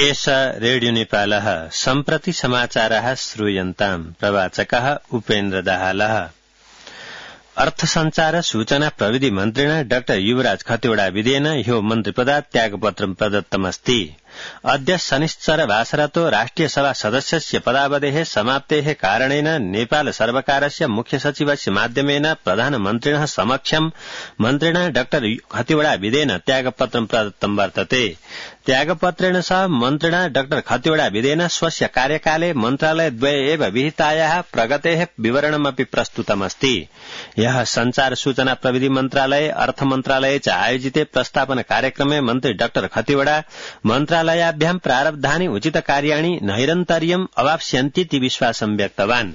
एष रेडियो नेपालः सम्प्रति समाचारः श्रूयन्ताम् प्रवाचकः उपेन्द्र दाहालः। अर्थ संचार सूचना प्रविधि मन्त्रिणा डाक्टर युवराज खतिवड़ा विधेयन ह्यो मन्त्रिपदात् त्यागपत्रं प्रदत्तमस्ति। अद्य शनिश्चर वासरतो राष्ट्रिय सभा सदस्यस्य पदावधेः समाप्तेः कारणेन नेपाल सर्वकारस्य मुख्य सचिवस्य माध्यमेन प्रधानमन्त्रिणः समक्षं मन्त्रिणा डाक्टर खतिवड़ा विधेयन त्यागपत्रं प्रदत्तं वर्तते। त्यागपत्रेण सह मन्त्रिणा डाक्टर खतिवड़ा विधेयन स्वस्य कार्यकाले मन्त्रालयद्वये एव विहितायाः प्रगतेः विवरणमपि प्रस्तुतमस्ति। यः संचार सूचना प्रविधि मन्त्रालये अर्थ मन्त्रालये च आयोजिते प्रस्तापन कार्यक्रमे मन्त्री डाक्टर खतिवड़ा मन्त्रालयाभ्यां प्रारब्धानि उचित कार्याणि नैरन्तर्यम् अवाप्स्यन्तीति विश्वासं व्यक्तवान्।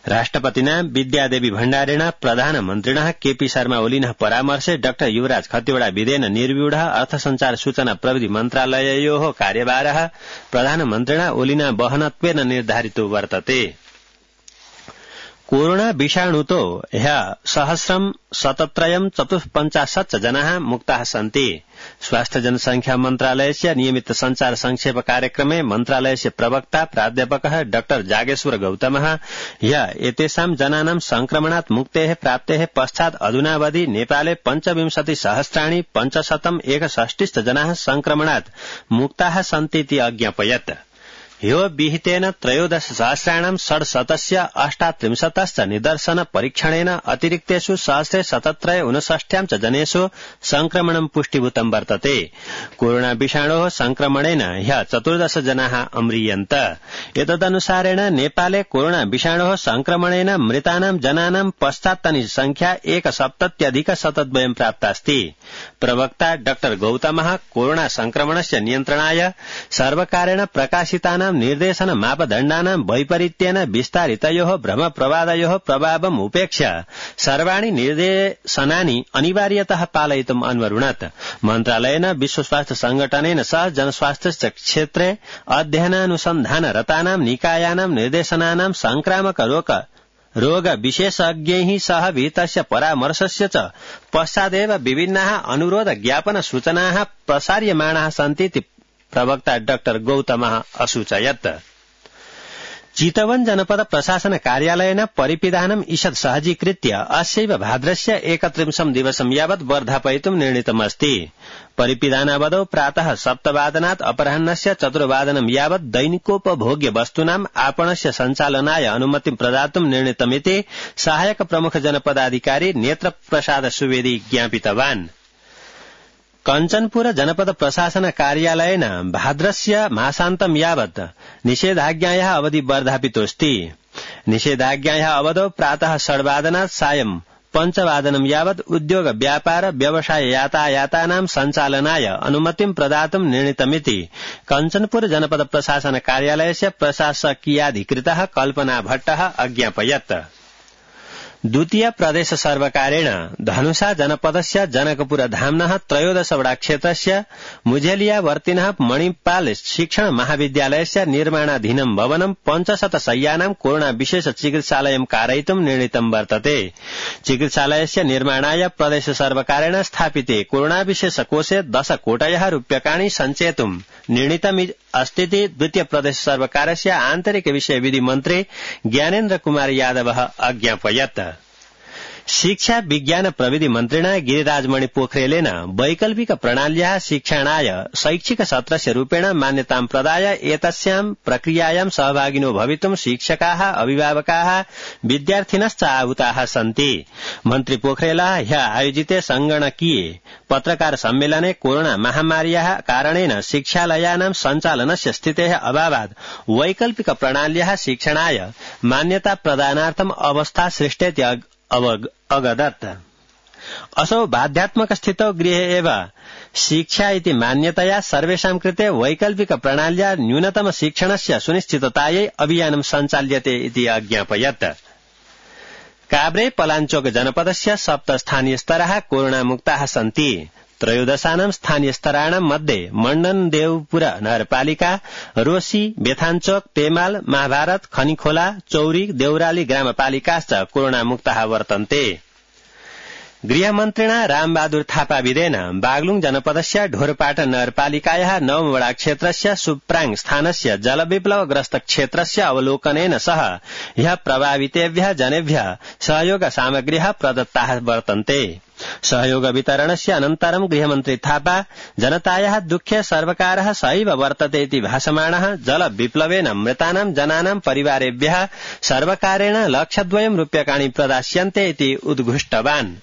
राष्ट्रपतिना विद्यादेवी भण्डारेण प्रधानमन्त्रिणः केपी शर्मा ओलिनः परामर्शे डाक्टर युवराज खतिवड़ा विधेयन निर्व्यूढः अर्थ संचार सूचना प्रविधि मन्त्रालययोः कार्यभारः प्रधानमन्त्रिणा ओलिना वहनत्वेन निर्धारितो वर्तते। कोरोना विषाणुतो ह्यः 1,000,754 जनाः मुक्ताः सन्ति। स्वास्थ्य जनसंख्या मन्त्रालयस्य नियमित संचार संक्षेप कार्यक्रमे मन्त्रालयस्य प्रवक्ता प्राध्यापकः डाक्टर जागेश्वर गौतमः ह्यः एतेषां जनानां संक्रमणात् मुक्तेः प्राप्तेः पश्चात् अधुनावधि नेपाले 25,561 जनाः संक्रमणात् मुक्ताः सन्तीति अज्ञापयत्। ह्यो विहितेन 13,638 निदर्शन परीक्षणेन अतिरिक्तेषु 1,759 च जनेषु संक्रमणं पुष्टिभूतं वर्तते। कोरोना विषाणोः संक्रमणेन ह्यः 14 जनाः अम्रियन्त। एतदनुसारेण नेपाले कोरोना विषाणोः संक्रमणेन मृतानां जनानां पश्चात्तनी संख्या 1,70,000 प्राप्तास्ति। प्रवक्ता डाक्टर गौतमः कोरोना संक्रमणस्य नियन्त्रणाय सर्वकारेण प्रकाशितानां निर्देशन मापदण्डानां वैपरीत्येन विस्तारितयोः भ्रमप्रवादयोः प्रभावम् उपेक्ष्य सर्वाणि निर्देशनानि अनिवार्यतः पालयितुम् अन्वरुणत्। मन्त्रालयेन विश्व स्वास्थ्य संगठनेन सह जनस्वास्थ्य क्षेत्रे अध्ययनानुसन्धानरतानां निकायानां निर्देशनानां संक्रामक रोग विशेषज्ञैः सह विहितस्य परामर्शस्य च पश्चादेव विभिन्नाः अनुरोध ज्ञापन सूचनाः प्रसार्यमाणाः सन्तीति प्रवक्ता डाक्टर गौतमः असूचयत्। चितवन जनपद प्रशासन कार्यालयेन परिपिधानम् ईषत् सहजीकृत्य अस्यैव भाद्रस्य 31 दिवसं यावत् वर्धापयितुं निर्णीतमस्ति। परिपिधानावधौ प्रातः 7 अपराह्नस्य 4 यावत् दैनिकोपभोग्य वस्तूनाम् आपणस्य सञ्चालनाय अनुमतिं प्रदातुं निर्णीतमिति सहायक प्रमुख जनपदाधिकारी नेत्र प्रसाद सुवेदी ज्ञापितवान्। कञ्चनपुर जनपद प्रशासन कार्यालयेन भाद्रस्य मासान्तं यावत् निषेधाज्ञायाः अवधि वर्धापितोऽस्ति। निषेधाज्ञायाः अवधौ प्रातः 8 सायं 5 यावत् उद्योग व्यापार व्यवसाय यातायातानां सञ्चालनाय अनुमतिं प्रदातुं निर्णीतमिति कञ्चनपुर जनपद प्रशासन कार्यालयस्य प्रशासकीयाधिकृतः कल्पना भट्टः अज्ञापयत्। द्वितीय प्रदेश सर्वकारेण धनुषा जनपदस्य जनकपुर धाम्नः 13 वडा क्षेत्रस्य मुझेलियावर्तिनः मणिपाल शिक्षण महाविद्यालयस्य निर्माणाधीनं भवनं 500 शय्यानां कोरोना विशेष चिकित्सालयं कारयितुं निर्णीतं वर्तते। चिकित्सालयस्य निर्माणाय प्रदेश सर्वकारेण स्थापिते कोरोना विशेष कोषे 10 कोटयः रूप्यकाणि सञ्चेतुं निर्णीतमस्तीति द्वितीय प्रदेश सर्वकारस्य आन्तरिक विषय विधि मन्त्री ज्ञानेन्द्र कुमार यादवः अज्ञापयत्। शिक्षा विज्ञान प्रविधि मन्त्रिणा गिरिराजमणि पोखरेलेन वैकल्पिक प्रणाल्याः शिक्षणाय शैक्षिक सत्रस्य रूपेण मान्यतां प्रदाय एतस्यां प्रक्रियायां सहभागिनो भवितुं शिक्षकाः अभिभावकाः विद्यार्थिनश्च आहूताः सन्ति। मन्त्री पोखरेलः ह्यः आयोजिते संगणकीये पत्रकार सम्मेलने कोरोना महामार्याः कारणेन शिक्षालयानां सञ्चालनस्य स्थितेः अभावात् वैकल्पिक प्रणाल्याः शिक्षणाय मान्यता प्रदानार्थम् अवस्था सृष्टेति अवगदत्। असौ बाध्यात्मक स्थितौ गृहे एव शिक्षा इति मान्यतया सर्वेषां कृते वैकल्पिक प्रणाल्या न्यूनतम शिक्षणस्य सुनिश्चिततायै अभियानं सञ्चाल्यते इति अज्ञापयत्। काभ्रे पलाञ्चोक जनपदस्य 7 स्थानीयस्तराः कोरोनामुक्ताः सन्ति। 13 स्थानीयस्तराणां मध्ये मण्डनदेवपुर नगरपालिका, रोसी, बेथानचोक, पेमाल, महाभारत, खनिखोला, चौरी, देउराली ग्रामपालिकाश्च कोरोनामुक्ताः वर्तन्ते। गृहमन्त्रिणा रामबहादुर थापा विदेन बागलुङ जनपदस्य ढोरपाटन नगरपालिकायाः 9 वडा क्षेत्रस्य सुप्राङ स्थानस्य जलविप्लवग्रस्त क्षेत्रस्य अवलोकनेन सह ह्यः प्रभावितेभ्यः जनेभ्यः सहयोग सामग्र्यः प्रदत्ताः वर्तन्ते। सहयोग वितरणस्य अनन्तरं गृहमन्त्री थापा जनतायाः दुःखे सर्वकारः सहैव वर्तते इति भाषमाणः जलविप्लवेन मृतानां जनानां परिवारेभ्यः सर्वकारेण लक्षद्वयं रूप्यकाणि प्रदास्यन्ते इति उद्घुष्टवान्।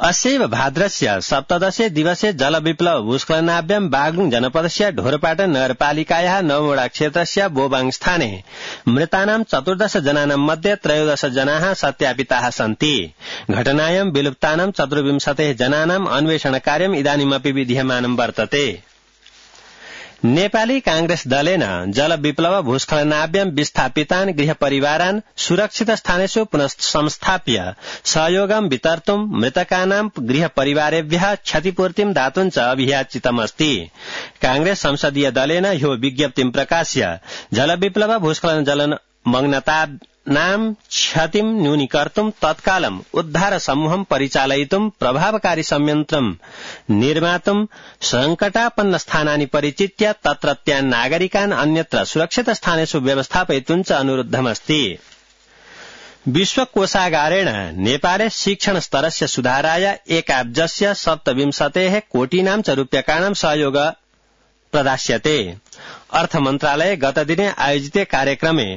अस्यैव भाद्रस्य 17 दिवसे जलविप्लव भूस्खलनाभ्यां बागलुङ जनपदस्य ढोरपाटन नगरपालिकायाः 9 वडा क्षेत्रस्य बोबाङ स्थाने मृतानां 14 जनानां मध्ये 13 जनाः सत्यापिताः सन्ति। घटनायां विलुप्तानां 24 जनानां अन्वेषण कार्यम् इदानीमपि विधीयमानं वर्तते। नेपाली कांग्रेस दलेन जलविप्लव भूस्खलनाभ्यां विस्थापितान् गृहपरिवारान् सुरक्षित स्थानेषु पुनः संस्थाप्य सहयोगं वितर्तुं मृतकानां गृहपरिवारेभ्यः क्षतिपूर्तिं दातुं च अभियाचितमस्ति। कांग्रेस संसदीय दलेन ह्यो विज्ञप्तिं प्रकाश्य जलविप्लव भूस्खलन जलमग्नतानां क्षतिं न्यूनीकर्तुं तत्कालम् उद्धार समूहं परिचालयितुं प्रभावकारी संयन्त्रं निर्मातुं संकटापन्न स्थानानि परिचित्य तत्रत्यान् नागरिकान् अन्यत्र सुरक्षित स्थानेषु व्यवस्थापयितुं च अनुरुद्धमस्ति। विश्वकोषागारेण नेपाले शिक्षण स्तरस्य सुधाराय एकाब्जस्य 27 कोटीनां च रूप्यकाणां सहयोग प्रदास्यते। अर्थमन्त्रालये गतदिने आयोजिते कार्यक्रमे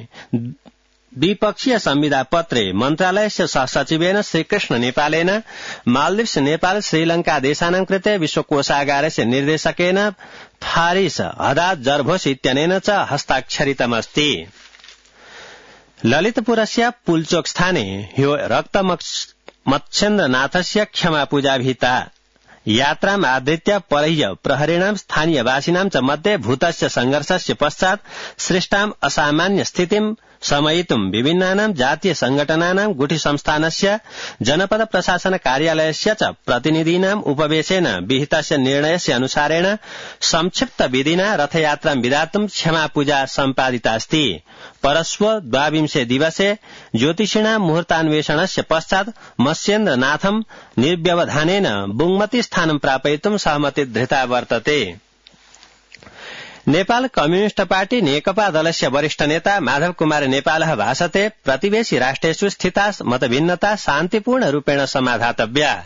द्विपक्षीय संविदा पत्रे मन्त्रालयस्य सहसचिवेन श्रीकृष्ण नेपालेन मालदीव्स नेपाल श्रीलंका देशानां कृते विश्वकोषागारस्य निर्देशकेन फारिस हदाद जरभोस इत्यनेन च हस्ताक्षरितमस्ति। ललितपुरस्य पुलचोक स्थाने ह्यो रक्तमत्स्येन्द्रनाथस्य क्षमापूजा विहिता। यात्राम् आधृत्य परह्य प्रहरीणां स्थानीयवासिनां च मध्ये भूतस्य संघर्षस्य पश्चात् सृष्टाम् असामान्य स्थितिं शमयितुं विभिन्नानां जातीय संघटनानां गुठी संस्थानस्य जनपद प्रशासन कार्यालयस्य च प्रतिनिधीनां उपवेशेन विहितस्य निर्णयस्य अनुसारेण संक्षिप्त विधिना रथयात्रां विधातुं क्षमापूजा सम्पादितास्ति। परश्व 22 दिवसे ज्योतिषिणां मुहूर्तान्वेषणस्य पश्चात् मत्स्येन्द्रनाथं निर्व्यवधानेन बुङ्मती स्थानं प्रापयितुं सहमति धृता वर्तते। नेपाल कम्युनिष्ट पार्टी नेकपा दलस्य वरिष्ठ नेता माधव कुमार नेपालः भाषते प्रतिवेशी राष्ट्रेषु स्थिता मतभिन्नता शान्तिपूर्ण रूपेण समाधातव्या।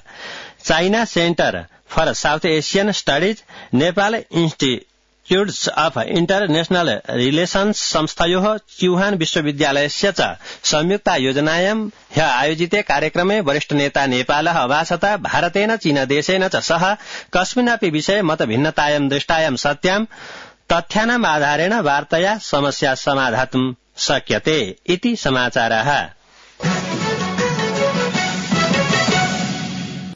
China center for South Asian studies Nepal institutes of international relations संस्थयोः च्युहान विश्वविद्यालयस्य च संयुक्तायोजनायां ह्यः आयोजिते कार्यक्रमे वरिष्ठ नेता नेपालः अभाषत भारतेन चीनदेशेन च सह कस्मिन्नपि विषये मतभिन्नतायां दृष्टायां सत्यां तथ्यानाम् आधारेण वार्तया समस्या समाधातुं शक्यते इति समाचारः।